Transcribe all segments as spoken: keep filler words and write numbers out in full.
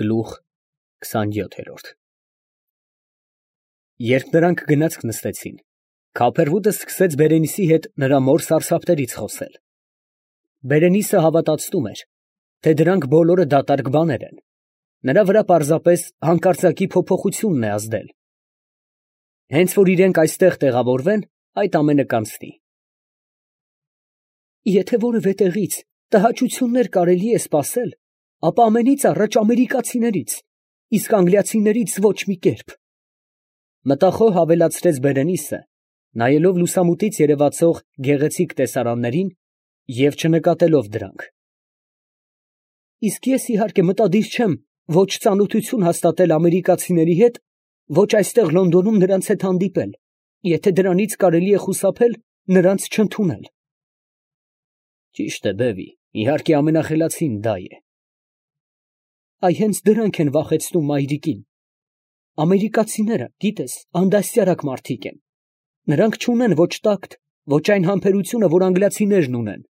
Գլուխ քսանյոթ։ Երբ նրանք գնացք նստեցին, Քափերվուդը սկսեց Բերենիսի հետ նրա մոր սարսափներից խոսել. Բերենիսը հավատացնում էր, թե դրանք բոլորը դատարկ բաներ են, նրա վրա պարզապես հանկարծակի փոփոխությունն է ազդել. հենց որ իրենք այստեղ տեղավորվեն, այդ ամենը կանցնի։ Եթե որևէ տեղից տհաճություններ կարելի է սպասել, ապա ամենից առաջ ամերիկացիներից, իսկ անգլիացիներից ոչ մի կերպ։ Մտախոհ ավելացրեց Բերենիսը, նայելով լուսամուտից երևացող գեղեցիկ տեսարաններին և չնկատելով դրանք։ Իսկ ես իհարկե մտադիր չեմ ոչ ծանոթություն հաստատել ամերիկացիների հետ, ոչ այստեղ Լոնդոնում նրանց հետ հանդիպել, եթե դրանից կարելի է խուսափել նրանց չընդունել։ Ճիշտ է, բևի, իհարկե ամենախելացին դա է։ Այ հենց դրանք են վախեցնում մայրիկին։ Ամերիկացիները, գիտես, անդաստիարակ մարդիկ են։ Նրանք չունեն ոչ տակտ, ոչ այն համբերությունը, որ անգլիացիներն ունեն։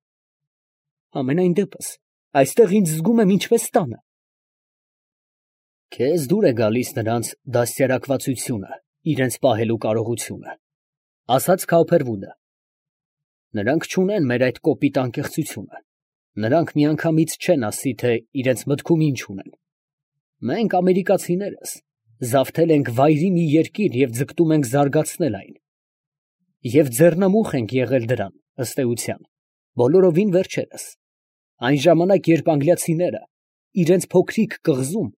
Համենայն դեպս, այստեղ ինձ զգում եմ ինչպես տանը։ Քեզ դուր է գալիս նրանց դաստիարակվածությունը, իրենց պահելու կարողությունը, ասաց Քափերվուդը։ Նրանք չունեն մեր այդ կոպիտ անկեղծությունը։ Նրանք միանգամից չեն ասի, թե իրենց մտքում ինչ ունեն։ Մենք ամերիկացիներս զավթել ենք վայրի մի երկիր և ձգտում ենք զարգացնել այն։ Եվ ձեռնամուխ ենք եղել դրան, ըստ էության, բոլորովին վերջերս, այն ժամանակ, երբ անգլիացիները իրենց փոքրիկ կղզում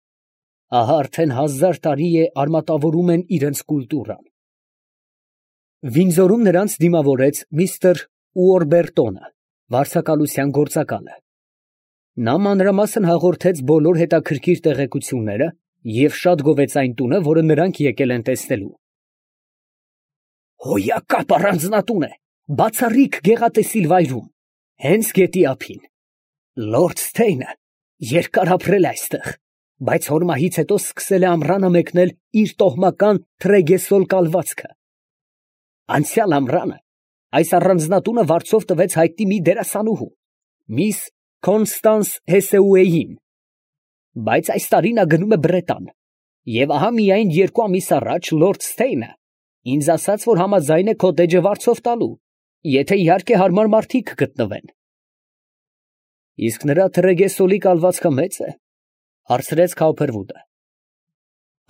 ահա արդեն հազար տարի է արմատավորում են իրենց կուլտուրան։ Վինձորում նրանց դիմավորեց միստր Ուորբերտոնը, վարձակալության գործակալը։ Նա մանրամասն հաղորդեց բոլոր հետաքրքիր տեղեկությունները և շատ գովեց այն տունը, որը նրանք եկել են տեսնելու։ Հոյակապ առանձնատուն է, բացառիկ գեղատեսիլ վայրում, հենց գետի ափին։ Լորդ Սթեյնը երկար ապրել է այստեղ, բայց հոր մահից հետո սկսել է ամռանը մեկնել իր տոհմական Թրեգեսոլ կալվածքը։ Անցյալ ամռանը այս առանձնատունը վարձով տվեց հայտնի մի դերասանուհու, միս Կոնստանս Հեսեուեյին, բայց այս տարի նա գնում է Բրետան, և ահա միայն երկու ամիս առաջ լորդ Սթեյնը ինձ ասաց, որ համաձայն է քոտեջը վարձով տալու, եթե իհարկե հարմար մարդիկ գտնվեն։ Իսկ նրա Թրեգեսոլի կալվածքը մե՞ծ է, հարցրեց Քափերվուդը։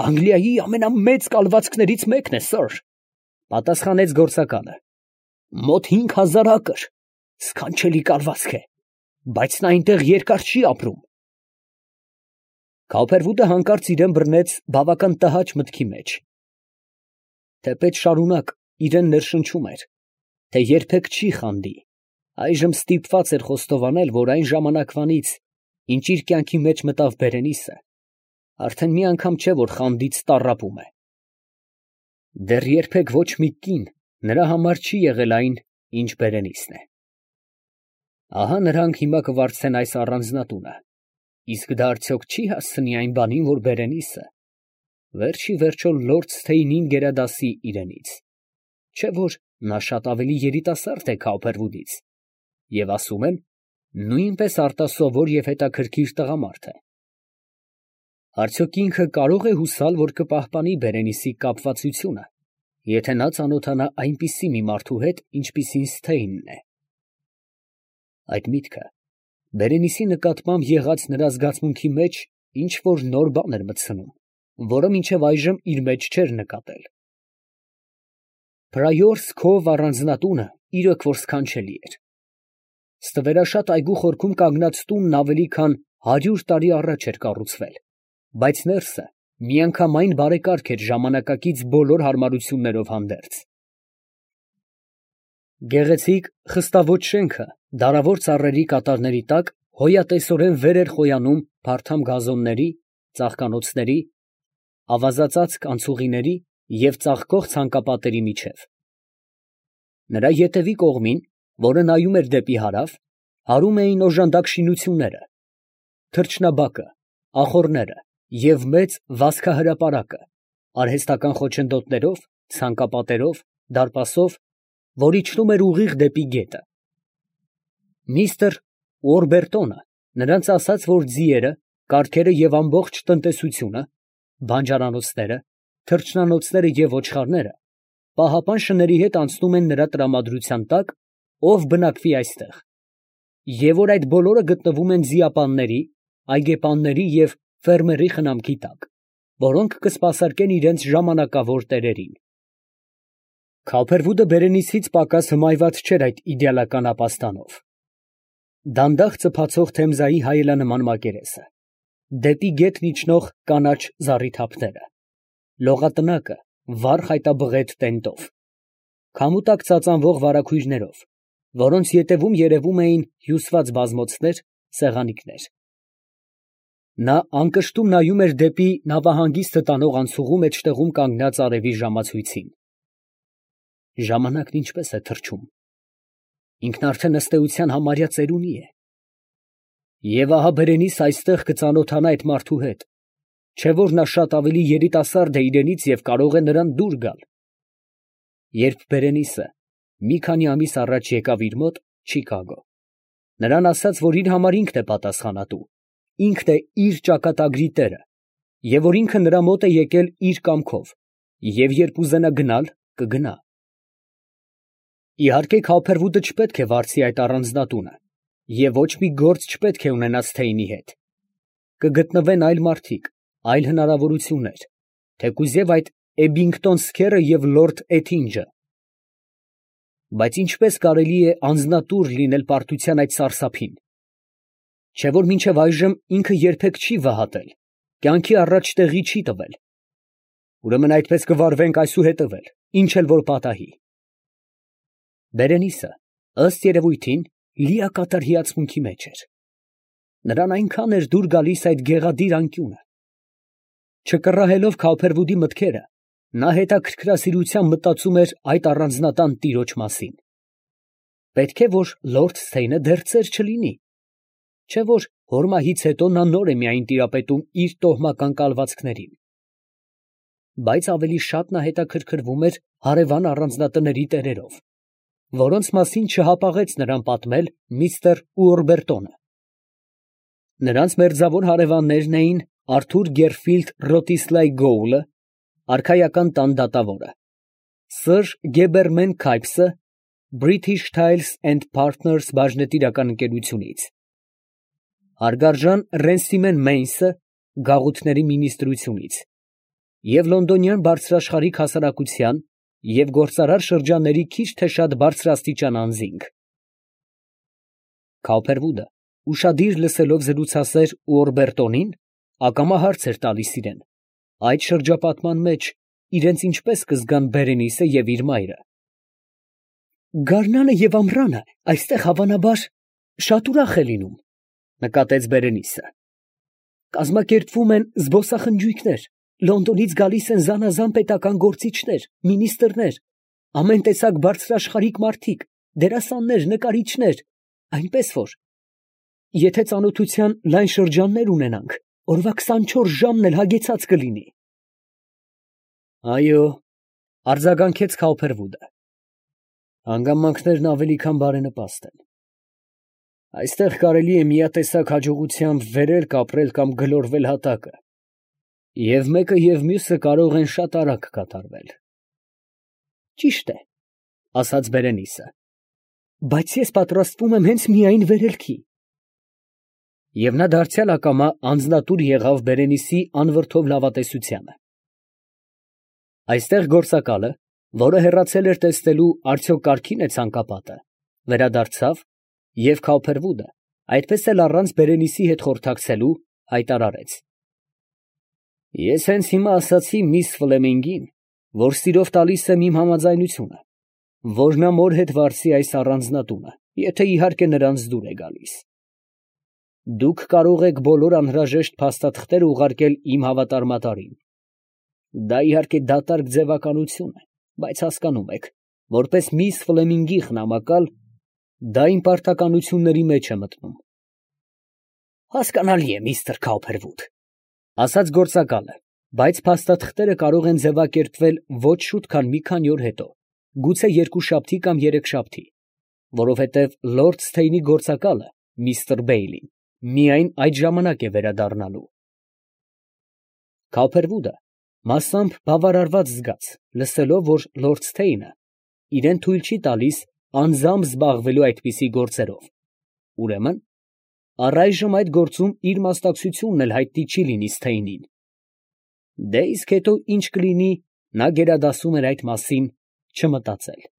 Անգլիայի ամենամեծ կալվածքներից մեկն է, սըր, պատասխանեց գործակալը։ Մոտ հինգ հազար ակր, սքանչելի կալվածք է, բայց նա այնտեղ երկար չի ապրում։ Քափերվուդը հանկարծ իրան բռնեց բավական տհաճ մտքի մեջ։ Թեպետ շարունակ իրան ներշնչում էր, թե երբեք չի խանդի, այժմ ստիպված էր խոստովանել, որ այն ժամանակվանից, ինչ իր կյանքի մեջ մտավ Բերենիսը, արդեն մի անգամ չէ, որ խանդից տառապում է։ Դեռ երբեք ոչ մի կին նրա համար չի եղել այն, ինչ Բերենիսն է։ Ահա նրանք հիմա կվարձեն այս առանձնատունը, իսկ դա արդյոք չի հասցնի այն բանին, որ Բերենիսը վերջի վերջո լորդ Սթեյնին գերադասի իրենից, չէ՞ որ նա շատ ավելի երիտասարդ է Քափերվուդից, և ասում են, նույնպես արտասովոր և հետաքրքիր տղամարդ է։ Արդյոք ինքը կարող է հուսալ, որ կպահպանի Բերենիսի կապվածությունը, եթե նա ծանոթանա այնպիսի մի մարդու հետ, ինչպիսին Սթեյնն է։ Այդ միտքը Բերենիսի նկատմամբ եղած նրա զգացմունքի մեջ ինչ֊որ նոր բան էր մտցնում, որը մինչև այժմ իր մեջ չէր նկատել։ Պրայորս Քով առանձնատունը իրոք որ սքանչելի էր։ Ստվերաշատ այգու խորքում կանգնած տունն ավելի քան հարյուր տարի առաջ էր կառուցվել, բայց ներսը միանգամայն բարեկարգ էր ժամանակակից բոլոր հարմարություններով հանդերձ։ Գեղեցիկ խստավոր շենքը դարավոր ծառերի կատարների տակ հոյատեսորեն վեր էր խոյանում փարթամ գազոնների, ծաղկանոցների, ավազածածկ անցուղիների և ծաղկող ցանկապատերի միջև։ Նրա ետևի կողմին, որը նայում էր դեպի հարավ, հարում էին օժանդակ շինությունները, թռչնաբակը, ախոռները և մեծ վազքահրապարակը, արհեստական խոչընդոտներով, ցանկապատերով, դարպասով, որ իջնում էր ուղիղ դեպի գետը։ Միստր Ուորբերտոնը նրանց ասաց, որ ձիերը կառքերը և ամբողջ տնտեսությունը, բանջարանոցները, թռչնանոցները և ոչխարները պահապան շների հետ անցնում են նրա տրամադրության տակ, ով բնակվի այստեղ, և որ այդ բոլորը գտնվում են ձիապանների, այգեպանների և ֆերմերի խնամքի տակ, որոնք կսպասարկեն իրենց ժամանակավոր տերերին։ Քալփերվուդը Բերենիսից պակաս հմայված չէր այդ իդեալական ապաստանով. դանդաղ ծփացող Թեմզայի հայելանման մակերեսը, դեպի գետն իջնող կանաչ զառիթափները, լողատնակը վառ խայտաբղետ տենտով, քամու տակ ծածանվող վարագույրներով, որոնց ետևում երևում էին հյուսված բազմոցներ, սեղանիկներ։ Նա անկշտում նայում էր դեպի նավահանգիստը տանող անցուղու մեջտեղում կանգնած արևի ժամացույցին։ Ժամանակն ինչպես է թռչում, ինքն արդեն ըստ էության համարյա ծերունի է։ Եվ ահա Բերենիսը այստեղ կծանոթանա այդ մարդու հետ, չէ՞ որ նա շատ ավելի երիտասարդ է իրենից և կարող է նրան դուր գալ։ Երբ Բերենիսը մի քանի ամիս առաջ եկավ իր մոտ, Չիկագո, նրան ասաց, որ իր համար ինքն է պատասխանատու, ինքն է իր ճակատագրի տերը, և որ ինքը նրա մոտ է եկել իր կամքով, և երբ ուզենա գնալ, կգնա։ Իհարկե Քալփերվուդը չպետք է վարձի այդ առանձնատունը, և ոչ մի գործ չպետք է ունենա Սթեյնի հետ։ Կգտնվեն այլ մարդիկ, այլ հնարավորություններ, թեկուզ և այդ Էբբինգտոն սքերը և լորդ Էթինջը։ Բայց ինչպե՞ս կարելի է անձնատուր լինել պարտության այդ սարսափին, չէ՞ որ մինչև այժմ ինքը երբեք չի վհատել, կյանքի առաջ տեղի չի տվել։ Ուրեմն այդպես կվարվենք այսուհետև էլ, ինչ էլ որ պատահի։ Բերենիսը, ըստ երևույթին, լիակատար հիացմունքի մեջ էր. նրան այնքան էր դուր գալիս այդ գեղադիր անկյունը։ Չկռահելով Քալփերվուդի մտքերը, նա հետաքրքրասիրությամբ մտածում էր այդ առանձնատան տիրոջ մասին։ Պետք է որ լորդ Սթեյնը դեռ ծեր չլինի, չէ՞ որ հոր մահից հետո նա նոր է միայն տիրապետում իր տոհմական կալվածքներին։ Բայց ավելի շատ նա հետաքրքրվում էր հարևան առանձնատների տերերով, որոնց մասին չհապաղեց նրան պատմել միստր Ուորբերտոնը։ Նրանց մերձավոր հարևաններն էին Արթուր Գերֆիլդ Ռոտիսլայի Գոուլը, արքայական տան դատավորը, սըր Գեբերմեն Քայփսը British Tiles and Partners բաժնետիրական ընկերությունից, հարգարժան Ռենսիմեն Մեյնսը գաղութների մինիստրությունից և լոնդոնյան բարձրաշխարհիկ հասարակության և գործարար շրջանների քիչ թե շատ բարձրաստիճան անձինք։ Քալփերվուդը, ուշադիր լսելով զրուցասեր Ուորբերտոնին, ակամա հարց էր տալիս իրան, այդ շրջապատման մեջ իրենց ինչպես կզգան Բերենիսը և իր մայրը։ «Գարնանը և ամռանը այստեղ հավանաբար շատ ուրախ է լինում, ֊ նկատեց Բերենիսը. ֊ կազմակերպվում են զբոսախնջույքներ, Լոնդոնից գալիս են զանազան պետական գործիչներ, մինիստրներ, ամեն տեսակ բարձրաշխարհիկ մարդիկ, դերասաններ, նկարիչներ, այնպես որ, եթե ծանոթության լայն շրջաններ ունենանք, օրվա քսանչորս ժամն էլ հագեցած կլինի։ ֊ Այո, ֊ արձագանքեց Քալփերվուդը, ֊ հանգամանքներն ավելի քան բարենպաստ են։ Այստեղ կարելի է միատեսակ հաջողությամբ վերել, կապրել կամ գլորվել հատակը, և մեկը և մյուսը կարող են շատ արագ կատարվել։ ֊ Ճիշտ է, ֊ ասաց Բերենիսը, ֊ բայց ես պատրաստվում եմ հենց միայն վերելքի։ Եվ նա դարձյալ ակամա անձնատուր եղավ Բերենիսի անվրդով լավատեսությանը։ Այստեղ գործակալը, որը հեռացել էր տեսնելու արդյոք կարգի՞ն է ցանկապատը, վերադարձավ և Քալփերվուդը, այդպես էլ առանց Բերենիսի հետ խորհրդակցելու, հայտարարեց. Ես հենց հիմա ասացի միս Ֆլեմինգին, որ սիրով տալիս եմ իմ համաձայնությունը, որ նա մոր հետ վարձի այս առանձնատունը, եթե իհարկե նրանց դուր է գալիս։ Դուք կարող եք բոլոր անհրաժեշտ փաստաթղթերը ուղարկել իմ հավատարմատարին։ Դա իհարկե դատարկ ձևականություն է, բայց հասկանում եք, որպես միս Ֆլեմինգի խնամակալ, դա իմ պարտականությունների մեջ է մտնում։ Հասկանալի է, միստր Քալփերվուդ, ֊ ասաց գործակալը, բայց փաստաթղթերը կարող են ձևակերպվել ոչ շուտ, քան մի քանի օր հետո, գուցե երկուշաբթի կամ երեքշաբթի, որովհետև լորդ Սթեյնի գործակալը, միստր Բեյլին, միայն այդ ժամանակ է վերադառնալու։ Քափերվուդը մասամբ բավարարված զգաց, լսելով, որ լորդ Ստեյնը իրան թույլ չի տալիս անձամբ զբաղվելու այդպիսի գործերով, ուրեմն առայժմ այդ գործում իր մասնակցությունն էլ հայտնի չի լինի Սթեյնին։ Դե իսկ հետո ինչ կլինի, նա գերադասում էր այդ մասին չմտածել։